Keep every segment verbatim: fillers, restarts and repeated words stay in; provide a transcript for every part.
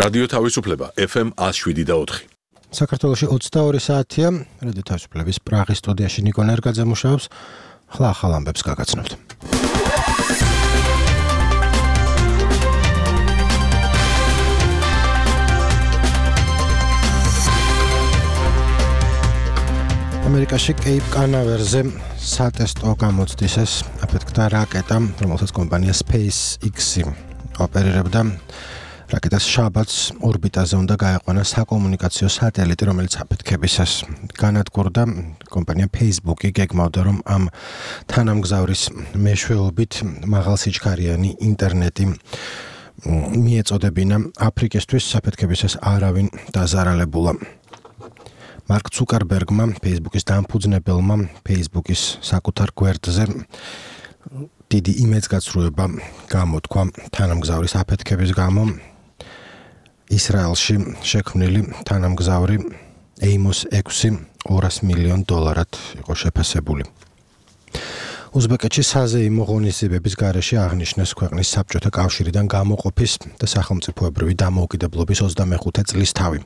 რადიო თავისუფლება ეფ ემ one oh seven და four. საქართველოში ოცდაორი საათია, რადიო თავისუფლების პრაღის სტუდიაში ნიკო ნერგაძე მუშაობს. ხლა ახალ ამბებს გაგაცნობთ. ამერიკაში კეიპ კანავერზე სატესტო გამოცდისას აფეთქდა რაკეტა, რომელსაც კომპანია SpaceX ოპერირებდა. რაკეტას შაბათს ორბიტაზე უნდა გაეყვანა საკომუნიკაციო სატელიტი, რომელიც აფეთქებისას განადგურდა. კომპანია Facebook-ი გეგმავდა, რომ ამ თანამგზავრის მეშვეობით მაღალსიჩქარიანი ინტერნეტი მიეწოდებინა აფრიკისთვის. საფეთქებისას არავინ დაზარალებულა. მარკ ცუკერბერგმა, Facebook-ის დამფუძნებელმა, Facebook-ის საკუთარ გვერდზე დიდი იმეdsgadzრუება გამოთქვა თანამგზავრის აფეთქების გამო. ისრაელში შექმნილი თანამგზავრი ეიმოს ექვსი ორასი მილიონ დოლარად იყო შეფასებული. უზბეკეთში საზეიმო ღონისძიებების გარეშე აღნიშნეს ქვეყნის საბჭოთა კავშირიდან გამოყოფის და სახელმწიფოებრივი დამოუკიდებლობის ოცდამეხუთე წლისთავი.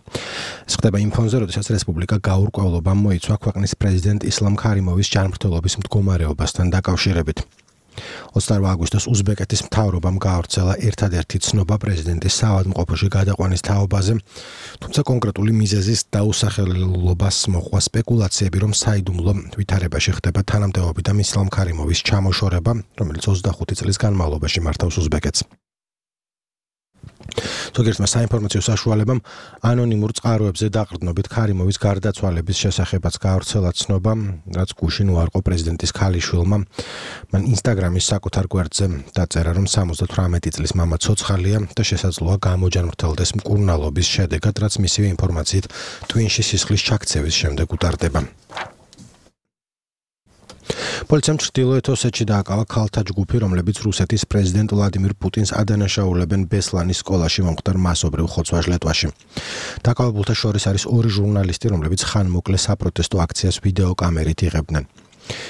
ეს ხდება იმ ფონზე, როდესაც რესპუბლიკა გაურკვევლობამ მოიცვა ქვეყნის პრეზიდენტ ისლამ ქარიმოვის ჯანმრთელობის მდგომარეობასთან დაკავშირებით. ოცდაორ აგვისტოს უზბეკეთის მთავრობამ გაავრცელა ერთადერთი ცნობა პრეზიდენტის საავადმყოფოში გადაყვანის თაობაზე, თუმცა კონკრეტული მიზეზის დაუსახელებლობას მოჰყვა სპეკულაციები, რომ საიდუმლო ვითარებაში ხდება თანამდებობიდან ისლამ ქარიმოვის ჩამოშორება, რომელიც ოცდახუთი წლის განმავლობაში მართავს უზბეკეთს. ზოგიერთმა საინფორმაციო საშუალებამ ანონიმურ წყაროებზე დაყრდნობით ქარიმოვის გარდაცვალების შესახებაც გაავრცელა ცნობა, რაც გუშინ უარყო პრეზიდენტის ქალიშვილმა. მან ინსტაგრამის საკუთარ გვერდზე დაწერა, რომ სამოცდათვრამეტი წლის მამა ცოცხალია და შესაძლოა გამოჯანმრთელდეს მკურნალობის შედეგად, რაც მისივე ინფორმაციით ტვინში სისხლის ჩაქცევის შემდეგ უტარდება. პოლიციამ ჩრდილოეთ ოსეთში დააკავა ქალთა ჯგუფი, რომლებიც რუსეთის პრეზიდენტ ვლადიმირ პუტინს ადანაშაულებენ ბესლანის სკოლაში მომხდარ მასობრივ ხოცვა-ჟლეტვაში. დაკავებულთა შორის არის ორი ჟურნალისტი, რომლებიც ხანმოკლე საპროტესტო აქციას ვიდეოკამერით იღებდნენ.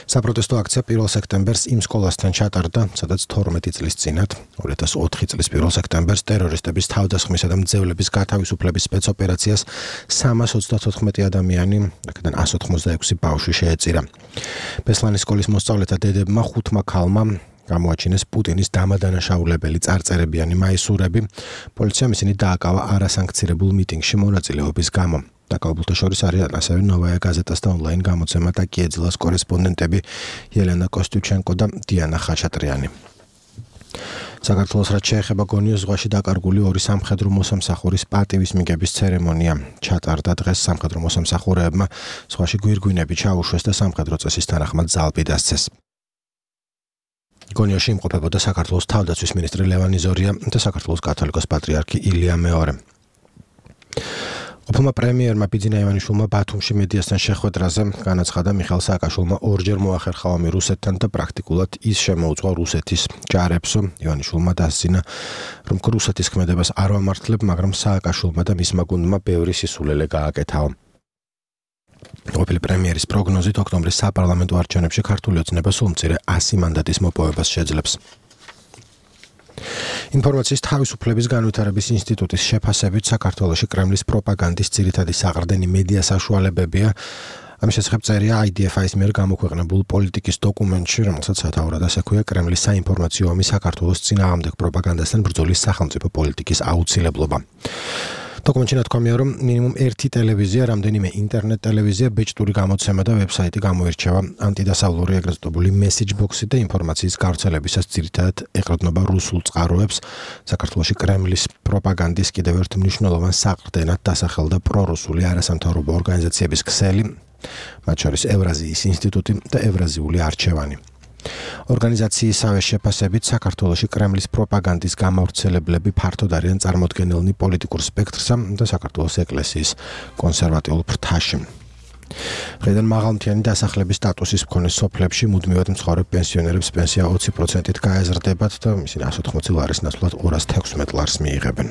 საპროტესტო აქცია პირველ სექტემბერს იმ სკოლასთან ჩატარდა, სადაც თორმეტი წლის წინათ, ორი ათას ოთხი წლის პირველ სექტემბერს ტერორისტების თავდასხმისა და მძევლების გათავისუფლების სპეცოპერაციას სამას ოცდათოთხმეტი ადამიანი, აქედან ასი ოცდაექვსი ბავშვი შეეწირა. ბესლანის სკოლის მოსწავლეთა დედებმა ხუთმა ქალმა გამოაჩინეს პუტინის დამადანაშაულებელი წარწერებიანი მაისურები. პოლიციამ ისინი დააკავა არასანქცირებულ მიტინგში მონაწილეობის გამო. დაკავებულთა შორის არიან ასევე ნოვაია გაზეტას და ონლაინ გამოცემა და კიეძილას კორესპონდენტები ელენა კოსტიუჩენკო და დიანა ხაჩატრიანი. საქართველოს რაც შეეხება გონიოს ზღვაში დაკარგული ორი სამხედრო მოსამსახურის პატივისმიგების ცერემონია ჩატარდა დღეს. სამხედრო მოსამსახურეებმა ზღვაში გვირგვინები ჩაუშვეს და სამხედრო წესის თანახმად ზალპი დასცეს. გონიოში იმყოფებოდა საქართველოს თავდაცვის მინისტრი ლევან იზორია და საქართველოს კათოლიკოს პატრიარქი ილია მეორე. ყოფილმა პრემიერმა ბიძინა ივანიშვილმა ბათუმში მედიასთან შეხვედრაზე განაცხადა, მიხეილ სააკაშვილმა ორჯერ მოახერხა ომი რუსეთთან და პრაქტიკულად ის შემოუწყვა რუსეთის ჯარებს. ივანიშვილმა დასძინა, რომ რუსეთის ქმედებას არ ვამართლებ, მაგრამ სააკაშვილმა და მისმა გუნდმა ბევრი სისულელე გააკეთაო. ყოფილი პრემიერის პროგნოზით ოქტომბრის საპარლამენტო არჩევნებში ქართული ოცნება სულ მცირე ასი მანდატის მოპოვებას შეძლებს. ინფორმაციის თავისუფლების განვითარების ინსტიტუტის შეფასებით საქართველოში კრემლის პროპაგანდის ძირითადი საყრდენი მედია საშუალებებია. ამის შესახებ წერია აი დი ეფ აის მიერ გამოქვეყნებულ პოლიტიკის დოკუმენტში, რომელსაც სათაურად ასექვია კრემლის საინფორმაციო ომი საქართველოს წინააღმდეგ პროპაგანდასთან ბრძოლის სახელმწიფო პოლიტიკის აუცილებლობა. დოკუმენტში ნათქვამია, რომ მინიმუმ ერთი ტელევიზია, რამდენიმე ინტერნეტ ტელევიზია, ბეჭდური გამოცემა და ვებსაიტი გამოირჩევა ანტიდასავლური ეგრეთ წოდებული მესეჯ ბოქსი და ინფორმაციის გავრცელებისას ძირითადად ეყრდნობა რუსულ წყაროებს. საქართველოში კრემლის პროპაგანდის კიდევ ერთ მნიშვნელოვან საყრდენად დასახელდა პრორუსული არასამთავრობო ორგანიზაციების ქსელი, მათ შორის ევრაზიის ინსტიტუტი და ევრაზიული არჩევანი. ორგანიზაციისავე შეფასებით საქართველოში კრემლის პროპაგანდის გამავრცელებლები ფართოდ არიან წარმოდგენილნი პოლიტიკურ სპექტრსა და საქართველოს ეკლესიის კონსერვატიულ ფრთაში. დღეიდან მაღალმთიანი დასახლების სტატუსის მქონე სოფლებში მუდმივად მცხოვრებ პენსიონერებს პენსია ოცი პროცენტით გაეზრდებათ და ისინი ასი ოცდაოთხი ლარის ნაცვლად ორას თექვსმეტ ლარს მიიღებენ.